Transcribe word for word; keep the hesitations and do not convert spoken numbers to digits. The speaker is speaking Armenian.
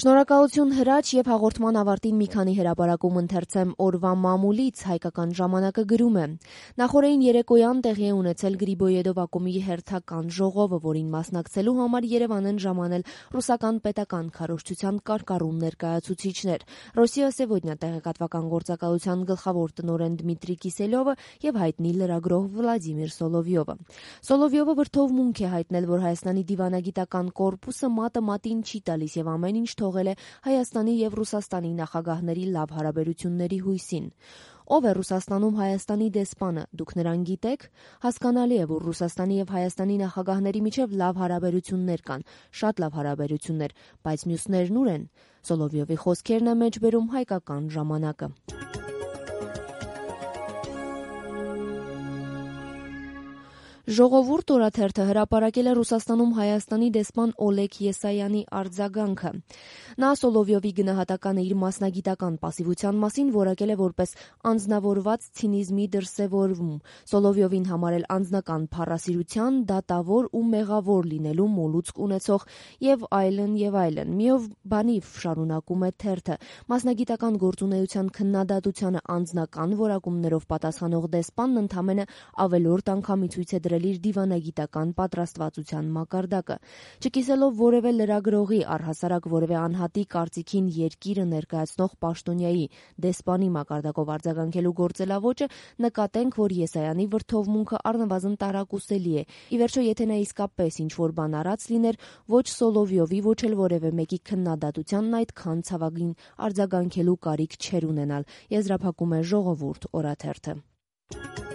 Շնորհակալություն հրաչ եւ հաղորդման ավարտին մի քանի հրապարակում ընթերցեմ օրվա մամուլից հայկական ժամանակը գրում է. Նախորդին երեկոյան տեղի է ունեցել Գրիբոյեդով ակումբի հերթական ժողովը, որին մասնակցելու համար Երևան են ժամանել ռուսական պետական քարոզչության կարկառուն ներկայացուցիչներ. Ռոսիա Սևոդնյա տեղեկատվական գործակալության գլխավոր տնօրեն Դմիտրի Կիսելյովը եւ հայտնի լրագրող Վլադիմիր Սոլովյովը։ Սոլովյովը վրդովմունք է հայտնել, որ Հայաստանի դիվանագիտական կորպուսը մատը մատին չի տալիս եւ ամեն ինչ թողել է Հայաստանի եւ Ռուսաստանի նախագահների լավ հարաբերությունների հույսին։ Ով է Ռուսաստանում Հայաստանի դեսպանը, դուք նրան գիտեք։ Հասկանալի է, որ Ռուսաստանի եւ Հայաստանի նախագահների միջև լավ հարաբերություններ կան, շատ լավ հարաբերություններ, բայց մյուսներն ուր են։ Սոլովյովի խոսքերն է մեջբերում հայկական ժամանակը։ Ժողովուրդ օրաթերթը հրապարակել է Ռուսաստանում Հայաստանի դեսպան Օլեգ Եսայանի արձագանքը։ Նա Սոլովյովի գնահատականը իր մասնագիտական պասիվության մասին որակել է որպես անձնավորված ցինիզմի դրսևորում, Սոլովյովին համարել անձնական փառասիրության, դատավոր ու մեղավոր լինելու մոլուցք ունեցող եւ այլն եւ այլն։ Միով բանիվ շարունակում է թերթը. մասնագիտական գործունեության քննադատությանը անձնական որակումներով պատասխանող դեսպանն ընդամենը ավելորդ անգամի ցույց է դրել իր դիվանագիտական պատրաստվածության մակարդակը։ Չկիսելով որևէ լրագրողի, առհասարակ որևէ անհատի կարծիքին երկիրը ներկայացնող պաշտոնյայի դեսպանի մակարդակով արձագանքելու գործելավոճը, նկատենք, որ Եսայանի վրդովմունքը առնվազն տարակուսելի է։ Ի վերջո, եթե նա իսկապես ինչ-որ բան արած լիներ, ոչ Սոլովյովի, ոչ էլ որևէ մեկի քննադատությանն այդքան ցավագին արձագանքելու կարիք չէր ունենալ, եզրափակում է Ժողովուրդ օրաթերթը։